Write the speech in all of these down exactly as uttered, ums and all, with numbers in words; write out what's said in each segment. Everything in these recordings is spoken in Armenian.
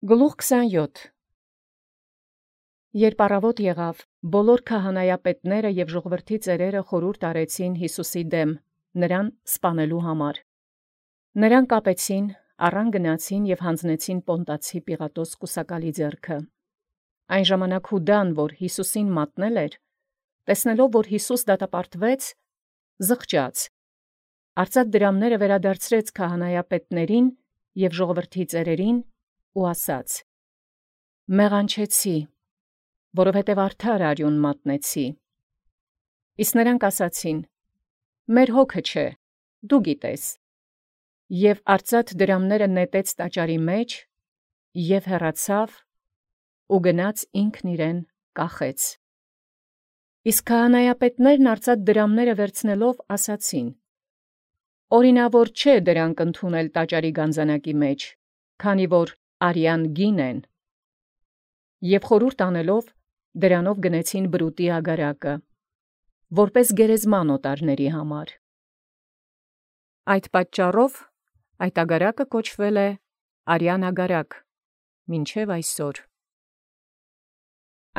Գլուխ քսանյոթ Երբ առավոտ եղավ, բոլոր քահանայապետները և ժողովրդի ծերերը խորհուրդ արեցին Յիսուսի դեմ, նրան սպանելու համար։ Նրան կապեցին, առան գնացին և հանձնեցին Պոնտացի Պիղատոս կուսակալի ձեռքը։ Այն ժամանակ Յուդան, որ Յիսուսին մատնել էր, տեսնելով, որ Յիսուս դատապարտվեց, զղջաց, արծաթ դրամները վերադարձրեց քահանայապետներին և ժողովրդի ծերերին ու ասաց. «Մեղանչեցի, որովհետև արդար արյուն մատնեցի»։ Իսկ նրանք ասացին. «Մեր հոգը չէ, դու գիտես»։ Եւ արծաթ դրամները նետեց տաճարի մեջ և հեռացավ ու գնաց ինքն իրեն կախեց։ Իսկ քահանայապետներն արծաթ դրամները վերցնելով ասացին. «Օրինաւոր չէ դրանք ընդունել տաճարի գանձանակի մեջ, քանի որ արյան գին են»։ Եւ խորհուրդ անելով դրանով գնեցին բրուտի ագարակը, որպէս գերեզման օտարների համար։ Այդ պատճառով այդ ագարակը կոչվել է Արյան ագարակ մինչև այսօր։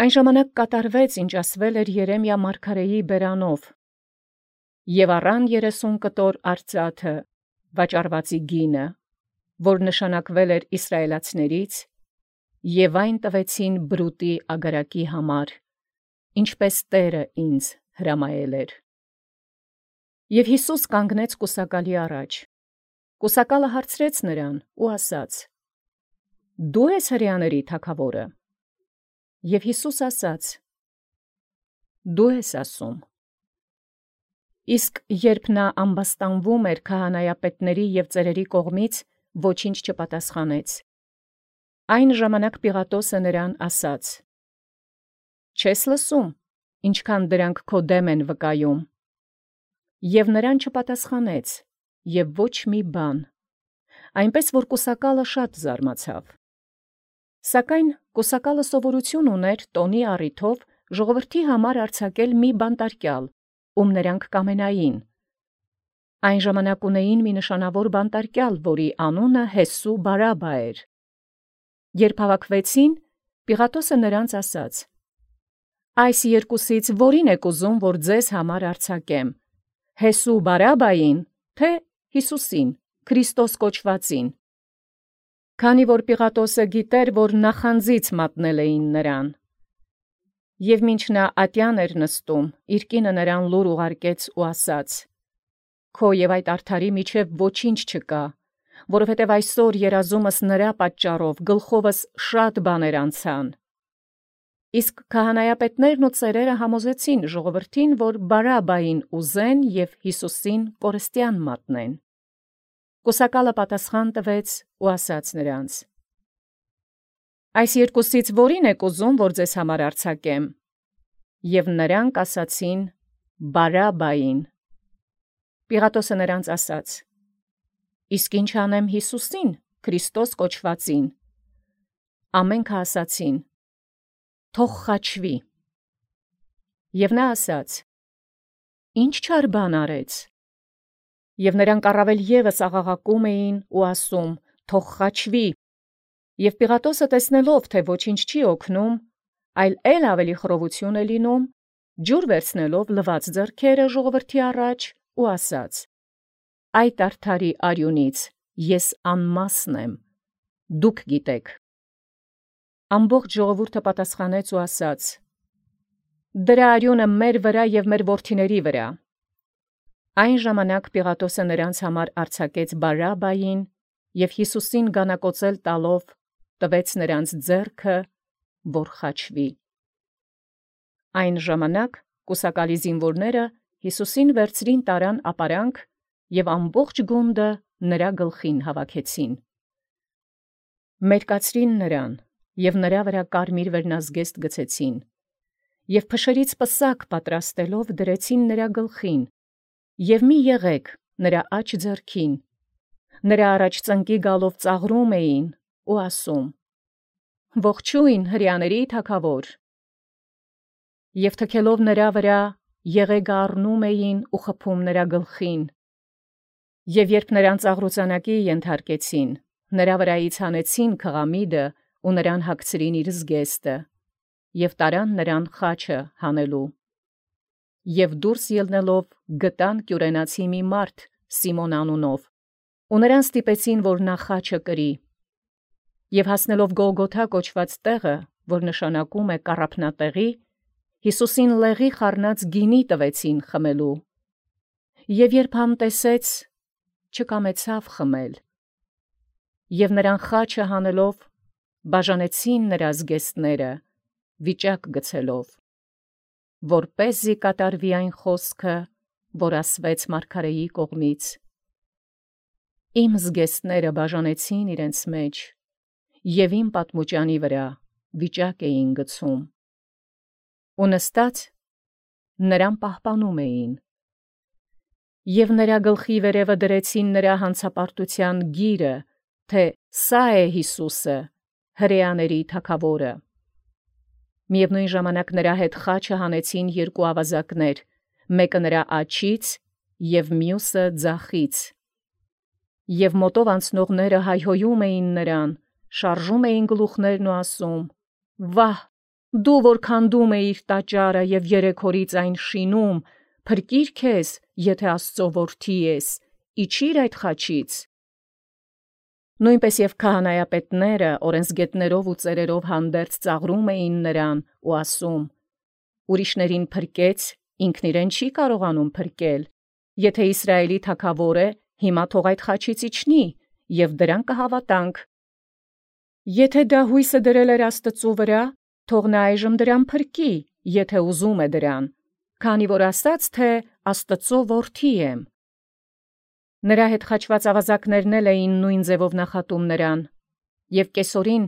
Այն ժամանակ կատարվեց, ինչ ասվել էր Երեմիա մարգարեի բերանով. «Եւ առան երեսուն կտոր արծաթը վաճառվածի գինը, որ նշանակվել էր իսրայելացիներից, եւ այն տվեցին բրուտի ագարակի համար, ինչպէս Տէրը ինձ հրամայել էր»։ Եւ Յիսուս կանգնեց կուսակալի առաջ։ Կուսակալը հարցրեց նրան ու ասաց. «Դո՞ւ ես հրեաների թագաւորը»։ Եւ Յիսուս ասաց. «Դու ես ասում»։ Իսկ երբ նա ամբաստանվում էր քահանայապետների և ծերերի կողմից, ոչինչ չպատասխանեց։ Այն ժամանակ Պիղատոսը նրան ասաց. «Չես լսում, ինչքան դրանք քո դեմ են վկայում»։ Եւ նրան չպատասխանեց և ոչ մի բան, այնպես որ կուսակալը շատ զարմացավ։ Սակայն կուսակալը սովորություն ուներ տոնի առիթով ժողովրդի համար արձակել մի բանտարկյալ, ում նրանք կամենային։ Այն ժամանակ ունեին մի նշանավոր բանտարկյալ, որի անունը Յեսու Բարաբա էր։ Երբ հավաքվեցին, Պիղատոսը նրանց ասաց. «Այս երկուսից որին եք ուզում, որ ձեզ համար արձակեմ, Յեսու Բարաբային, թե Յիսուսին, Քրիստոս կոչվածին»։ Քանի որ Պիղատոսը գիտեր, որ նախանձից մատնել էին նրան։ Եւ մինչ նա ատյան էր նստում, իր կինը նրան լուր ուղարկեց ու ասաց. «Քո և այդ արդարի միջև ոչինչ չկա, որովհետև այսօր երազումս նրա պատճառով գլխովս շատ բաներ անցան»։ Իսկ քահանայապետներն ու ծերերը համոզեցին ժողովրդին, որ Բարաբային ուզեն և Յիսուսին կորստյան մատնեն։ Կուսակալը պատասխան տվեց ու ասաց նրանց. «Այս երկուսից որին եք ուզում, որ ձեզ համար արձակեմ»։ Եւ նրանք ասացին. «Բարաբային»։ Պիղատոսը նրանց ասաց. «Իսկ ի՞նչ անեմ Յիսուսին, Քրիստոս կոչվածին»։ Ամենքը ասացին. «Թող խաչվի»։ Եւ նա ասաց. «Ի՞նչ չար բան արեց»։ Եւ նրանք առավել ևս աղաղակում էին ու ասում. «Թող խաչվի»։ Եւ Պիղատոսը տեսնելով, թե ոչինչ չի օգնում, այլ ել ավելի խռովություն է լինում, ջուր վերցնելով լված ձեռքերը ժողովրդի առաջ ու ասաց. «Այդ արդարի արյունից ես անմասն եմ, դուք գիտեք»։ Ամբողջ ժողովուրդը պատասխանեց ու ասաց. «Դրա արյունը մեր վրա և մեր որդիների վրա»։ Այն ժամանակ Պիղատոսը նրանց համար արձակեց Բարաբային և Յիսուսին գանակոծել տալով տվեց նրանց ձեռքը, որ խաչվի։ Այն ժամանակ կուսակալի զինվորները Յիսուսին վերցրին տարան ապարանք և ամբողջ գունդը նրա գլխին հավաքեցին։ Մերկացրին նրան և նրա վրա կարմիր վերնազգեստ գցեցին, և փշերից պսակ պատրաստելով դրեցին նրա գլխին, և մի եղեգ նրա աջ ձեռքին, նրա առաջ ծնկի գալով ծաղրում էին ու ասում. «Ողջույն հրեաների թագավոր»։ Եւ թքելով նրա վրա եղեգը առնում էին ու խփում նրա գլխին։ Եւ երբ նրան ծաղրուծանակի ենթարկեցին, նրա վրայից հանեցին քղամիդը ու նրան հագցրին իր զգեստը, և տարան նրան խաչը հանելու։ Եվ դուրս ելնելով գտան կյուրենացի մի մարդ Սիմոն անունով, ու նրան ստիպեցին, որ նա խաչը կրի։ Եվ հասնելով Գողգոթա կոչված տեղը, որ նշանակում է կառափնատեղի, Հիսուսին լեղի խառնած գինի տվեցին խմելու։ Եվ երբ համտեսեց, չկամեցավ խմել։ Եվ նրան խաչը հանելով, բաժանեցին նրա զգեստները, վիճակ գցելով, որպեսզի կատարվի այն խոսքը, որ ասվեց մարգարեի կողմից. «Իմ զգեստները բաժանեցին իրենց մեջ, և իմ պատմուճանի վրա վիճակ էին գցում»։ Ու նստած նրան պահպանում էին։ Եվ նրա գլխի վերևը դրեցին նրա հանցապարտության գիրը, թե սա է Հիսուսը, հրեաների թագավորը։ Միևնույն ժամանակ նրա հետ խաչը հանեցին երկու ավազակներ, մեկը նրա աջից և մյուսը ձախից։ Եվ մոտով անցնողները հայհոյում էին նրան, շարժում էին գլուխներն ու ասում. «Վահ, դու որ քանդում էիր տաճարը և երեք օրից այն շինում, փրկիր քեզ, եթե Աստծո որդի ես, իջիր այդ խաչից»։ Նույնպես և քահանայապետները օրենսգետներով ու ծերերով հանդերձ ծաղրում էին նրան ու ասում. «Ուրիշներին փրկեց, ինքն իրեն չի կարողանում փրկել. եթե Իսրայելի թագավոր է, հիմա թող այդ խաչից իջնի, և դրան կհավատանք։ Եթե դա հույսը դրել էր Աստծու վրա, թող նա այժմ դրան փրկի, եթե ուզում է դրան, քանի որ ասաց, թե Աստծո որդի եմ»։ Նրա հետ խաչված ավազակներն էլ էին նույն ձևով նախատում նրան, և կեսօրին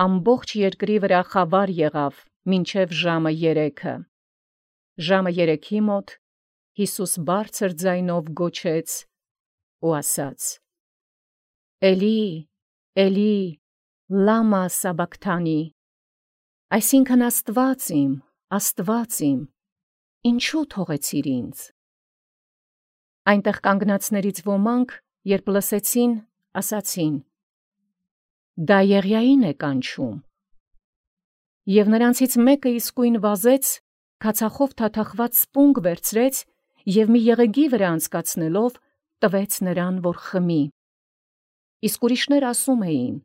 ամբողջ երկրի վրա խավար եղավ մինչև ժամը երեքը։ Ժամը երեքի մոտ Հիսուս բարձր ձայնով գոչեց ու ասաց. «Էլի, Էլի, լամա սաբաքթանի», այսինքն «Աստված իմ, Աստված իմ, ինչու թողեցիր ինձ»։ Այնտեղ կանգնածներից ոմանք, երբ լսեցին, ասացին. «Դա Եղիային է կանչում»։ Եվ նրանցից մեկը իսկույն վազեց, քացախով թաթախված սպունգ վերցրեց և մի եղեգի վրա անցկացնելով, տվեց նրան, որ խմի։ Իսկ ուրիշներ ասում էին.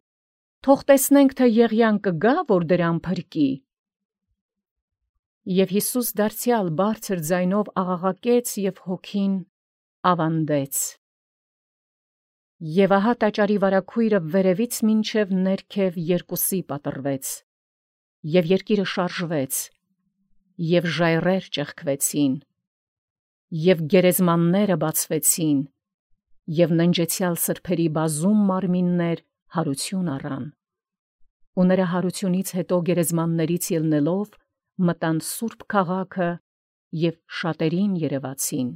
«Թող տեսնենք, թե Եղիան կգա, որ դրան փրկի»։ Եվ Հիսուս դարձյալ բարձր ձայնով աղաղակեց և հոգին ավանդեց։ Եվ ահա տաճարի վարագույրը վերևից մինչև ներքև երկուսի պատռվեց, և երկիրը շարժվեց, և ժայռեր ճեղքվեցին, և գերեզմանները բացվեցին, և ննջեցյալ սրբերի բազում մարմիններ հարություն առան։ Ու նրա հարությունից հետո գերեզմաններից ելնելով, մտան սուրբ քաղաքը և շատերին երևացին։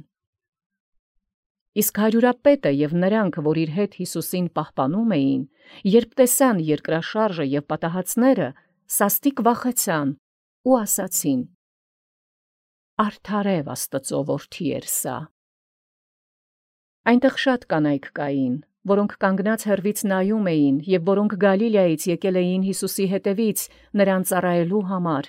Իսկ հարյուրապետը և նրանք, որ իր հետ Հիսուսին պահպանում էին, երբ տեսան երկրաշարժը և պատահածները, սաստիկ վախեցան ու ասացին. «Արդարև Աստծո որդի էր սա»։ Այնտեղ շատ կանայք կային, որոնք կանգնած հեռվից նայում էին և որոնք Գալիլեայից եկել էին Հիսուսի հետևից նրան ծառայելու համար։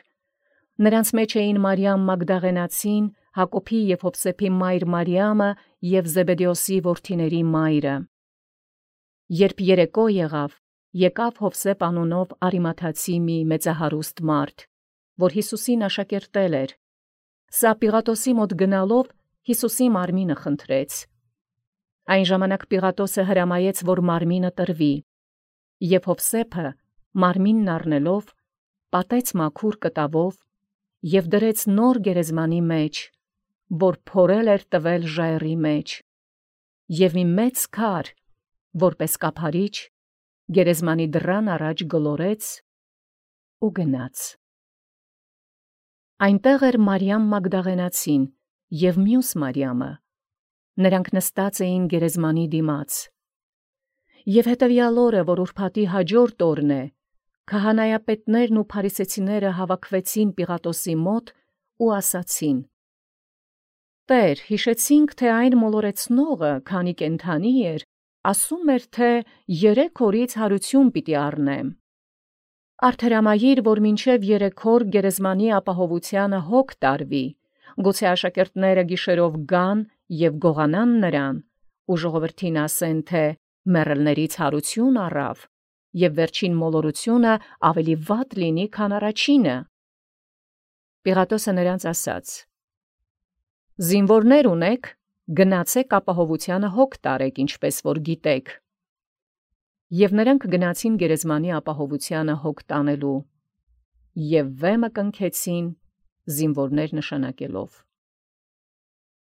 Նրանց մեջ էին Մարիամ Մագդաղենացին, Հակոբի և Հովսեփի մայր Մարիամը և Զեբեդեոսի որդիների մայրը։ Երբ երեկո եղավ, եկավ Հովսեփ անունով Արիմաթացի մի մեծահարուստ մարդ, որ Հիսուսին աշակերտել էր։ Սա Պիղատոսի մոտ գնալով Հիսուսի մարմինը խնդրեց։ Այն ժամանակ Պիղատոսը հրամայեց, որ մարմինը տրվի, և Հովսեփը մարմինն առնելով, պատեց մաքուր կտավով և դրեց նոր գերեզմանի մեջ, որ փորել էր տվել ժայռի մեջ, և մի մեծ քար, որպես կափարիչ, գերեզմանի դռան առաջ գլորեց ու գնաց։ Այնտեղ էր Մարիամ Մագդաղենացին և մյուս Մարիամը, նրանք նստած էին գերեզմանի դիմաց։ Եվ հետևյալ օրը, որ ուրբաթի հաջորդ օրն է, քահանայապետներն ու փարիսեցիները հավաքվեցին Պիղատոսի մոտ ու ասացին. «Տեր, հիշեցինք, թե այն մոլորեցնողը, քանի կենդանի էր, ասում էր, թե երեք օրից հարություն պիտի առնեմ։ Արթերամայիր, որ մինչև երեքոր գերեզմանի ապահովութիւնը հոգ տարվի, գուցե աշակերտները գիշերով գան եւ գողանան նրան, ու ժողովրդին ասեն, թե մեռելներից յարություն առավ, եւ վերջին մոլորությունը ավելի վատ լինի, քան առաջինը։ Պիղատոսը նրանց ասաց. զինվորներ ունեք, գնացեք ապահովութիւնը հոգ տարեք, ինչպես որ գիտեք։ Եւ նրանք գնացին գերեզմանի ապահովութիւնը հոգ տանելու, եւ վեմը կնքեցին զինվորներ նշանակելով։